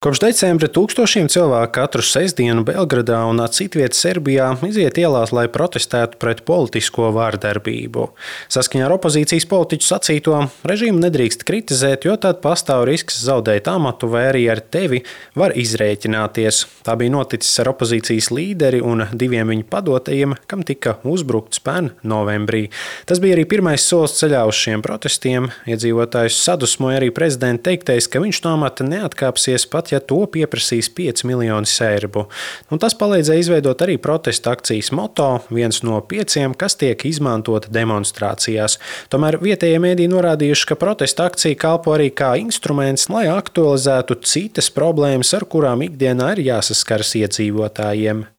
Kopš decembra tūkstošiem cilvēku katru sestdienu Belgradā un citviet Serbijā iziet ielās, lai protestētu pret politisko vardarbību. Saskaņā ar opozīcijas politiķu sacīto, režīmu nedrīkst kritizēt, jo tad pastāv risks zaudēt amatu vai arī ar tevi var izrēķināties. Tā bija noticis ar opozīcijas līderi un diviem viņa padotajiem, kam tika uzbrukts pērn novembrī. Tas bija arī pirmais solis ceļā uz šiem protestiem. Iedzīvotājus sadusmoja arī prezidenta teiktais, ka viņš no amata neatkāpsies pat, ja to pieprasīs 5 miljoni serbu. Tas palīdzēja izveidot arī protesta akcijas moto, viens no 5, kas tiek izmantota demonstrācijās. Tomēr vietējie mēdīji norādījuši, ka protesta akcija kalpo arī kā instruments, lai aktualizētu citas problēmas, ar kurām ikdienā ir jāsaskaras iedzīvotājiem.